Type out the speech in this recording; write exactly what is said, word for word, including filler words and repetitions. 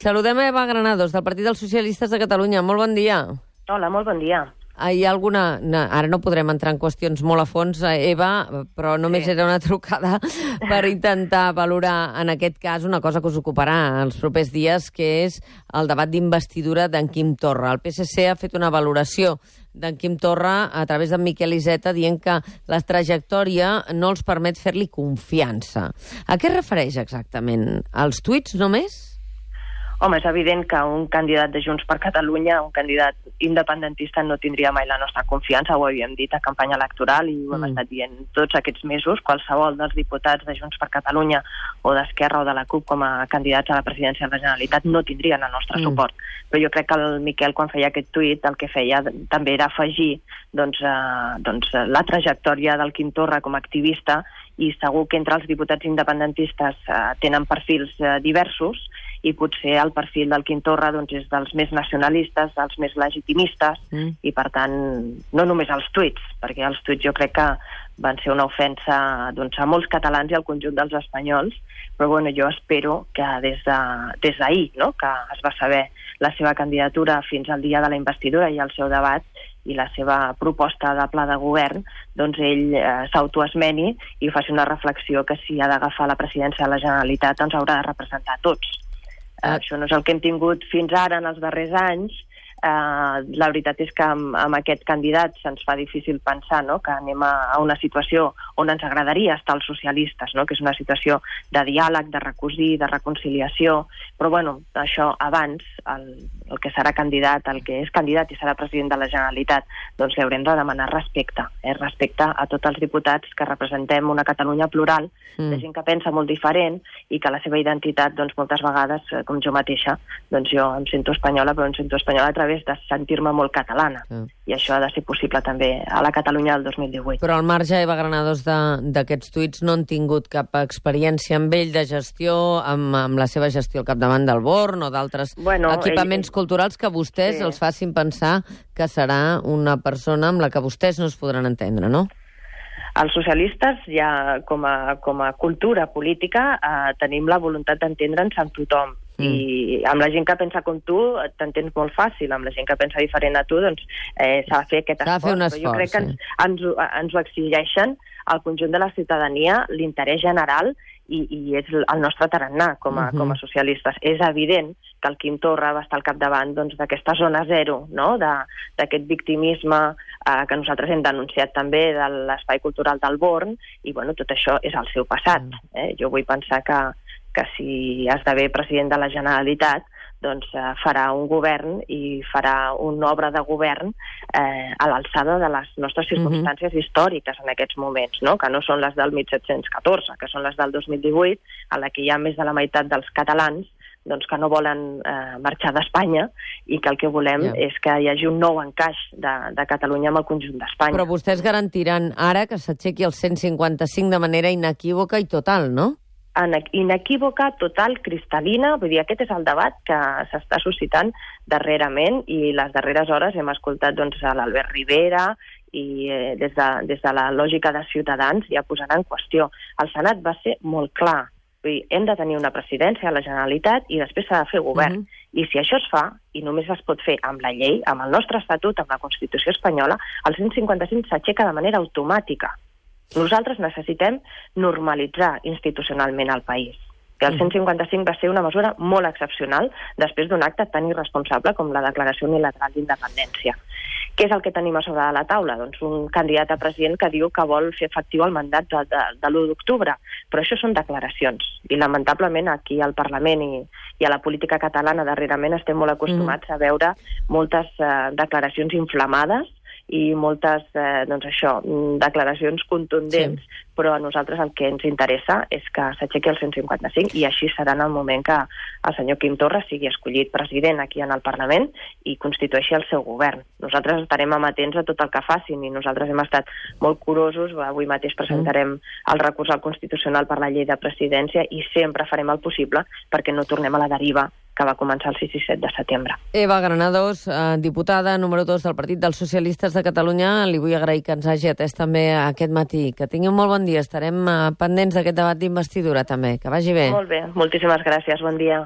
Saludem a Eva Granados, del Partit dels Socialistes de Catalunya. Molt bon dia. Hola, molt bon dia. Hi ha alguna... No, ara no podrem entrar en qüestions molt a fons, Eva, però només sí. era una trucada per intentar valorar, en aquest cas, una cosa que us ocuparà els propers dies, que és el debat d'investidura d'en Quim Torra. El P S C ha fet una valoració d'en Quim Torra a través d'en Miquel Iceta dient que la trajectòria no els permet fer-li confiança. A què es refereix exactament? Als tuits només? Home, és evident que un candidat de Junts per Catalunya, un candidat independentista, no tindria mai la nostra confiança, ho havíem dit a campanya electoral i ho hem mm. estat dient tots aquests mesos. Qualsevol dels diputats de Junts per Catalunya o d'Esquerra o de la CUP com a candidats a la presidència de la Generalitat no tindrien el nostre mm. suport. Però jo crec que el Miquel, quan feia aquest tuit, el que feia també era afegir doncs, eh, doncs, la trajectòria del Quim Torra com a activista, i segur que entre els diputats independentistes eh, tenen perfils eh, diversos, i potser el perfil del Quim Torra doncs, és dels més nacionalistes, dels més legitimistes, mm. i per tant, no només els tuits, perquè els tuits jo crec que van ser una ofensa doncs, a molts catalans i al conjunt dels espanyols, però bueno, jo espero que des de, des d'ahir, no?, que es va saber la seva candidatura fins al dia de la investidura i el seu debat i la seva proposta de pla de govern, doncs ell eh, s'autoesmeni i faci una reflexió que si ha d'agafar la presidència de la Generalitat ens haurà de representar a tots. Uh, això no és el que hem tingut fins ara en els darrers anys. Uh, la veritat és que amb, amb aquest candidat se'ns fa difícil pensar, no?, que anem a, a una situació on ens agradaria estar els socialistes, no?, que és una situació de diàleg, de recosir, de reconciliació, però bueno, això abans, el, el que serà candidat, el que és candidat i serà president de la Generalitat, doncs li haurem de demanar respecte, eh? respecte a tots els diputats que representem una Catalunya plural, mm. de gent que pensa molt diferent i que la seva identitat, doncs moltes vegades, com jo mateixa, doncs jo em sento espanyola, però em sento espanyola a través de sentir-me molt catalana. Mm. I això ha de ser possible també a la Catalunya del dos mil divuit. Però al marge, Eva Granados, d'aquests tuits no han tingut cap experiència amb ell de gestió, amb, amb la seva gestió al capdavant del Born o d'altres bueno, equipaments ell... culturals que vostès sí. els facin pensar que serà una persona amb la que vostès no es podran entendre, no? Els socialistes, ja com a, com a cultura política, eh, tenim la voluntat d'entendre'ns amb tothom. Mm. I amb la gent que pensa com tu t'entens molt fàcil, amb la gent que pensa diferent a tu doncs eh, s'ha de fer aquest esforç, fer un esforç, però jo crec que ens, sí. ens, ens ho exigeixen al conjunt de la ciutadania, l'interès general i, i és el nostre tarannà com a, uh-huh. com a socialistes. És evident que el Quim Torra va estar al capdavant doncs, d'aquesta zona zero, no?, d'aquest victimisme eh, que nosaltres hem denunciat també de l'espai cultural del Born, i bueno, tot això és el seu passat. Uh-huh. Eh? Jo vull pensar que que si esdevé president de la Generalitat, doncs eh, farà un govern i farà una obra de govern eh, a l'alçada de les nostres circumstàncies mm-hmm. històriques en aquests moments, no?, que no són les del disset deu quatre, que són les del dos mil divuit, a la que hi ha més de la meitat dels catalans doncs, que no volen eh, marxar d'Espanya i que el que volem yeah. és que hi hagi un nou encaix de, de Catalunya amb el conjunt d'Espanya. Però vostès garantiran ara que s'aixequi el cent cinquanta-cinc de manera inequívoca i total, no? Inequívoca, total, cristal·lina, vull dir, aquest és el debat que s'està suscitant darrerament i les darreres hores hem escoltat doncs, a l'Albert Rivera i eh, des, de, des de la lògica de Ciutadans ja posant en qüestió. El Senat va ser molt clar, vull dir, hem de tenir una presidència a la Generalitat i després s'ha de fer govern. Mm-hmm. I si això es fa, i només es pot fer amb la llei, amb el nostre estatut, amb la Constitució espanyola, el cent cinquanta-cinc s'aixeca de manera automàtica. Nosaltres necessitem normalitzar institucionalment el país. Que el cent cinquanta-cinc va ser una mesura molt excepcional després d'un acte tan irresponsable com la declaració unilateral d'independència. Què és el que tenim a sobre de la taula? Doncs un candidat a president que diu que vol fer efectiu el mandat de, de, de l'u d'octubre. Però això són declaracions. I lamentablement aquí al Parlament i, i a la política catalana darrerament estem molt acostumats mm. a veure moltes eh, declaracions inflamades i moltes, eh, doncs això, declaracions contundents, sí. però a nosaltres el que ens interessa és que s'aixequi el cent cinquanta-cinc i així serà en el moment que el senyor Quim Torra sigui escollit president aquí en el Parlament i constitueixi el seu govern. Nosaltres estarem amatents a tot el que facin i nosaltres hem estat molt curosos. Avui mateix presentarem el recurs al Constitucional per la llei de presidència i sempre farem el possible perquè no tornem a la deriva que va començar el sis i set de setembre. Eva Granados, eh, diputada número dos del Partit dels Socialistes de Catalunya, li vull agrair que ens hagi atès també aquest matí. Que tingui un molt bon dia. Estarem eh, pendents d'aquest debat d'investidura també. Que vagi bé. Molt bé. Moltíssimes gràcies. Bon dia.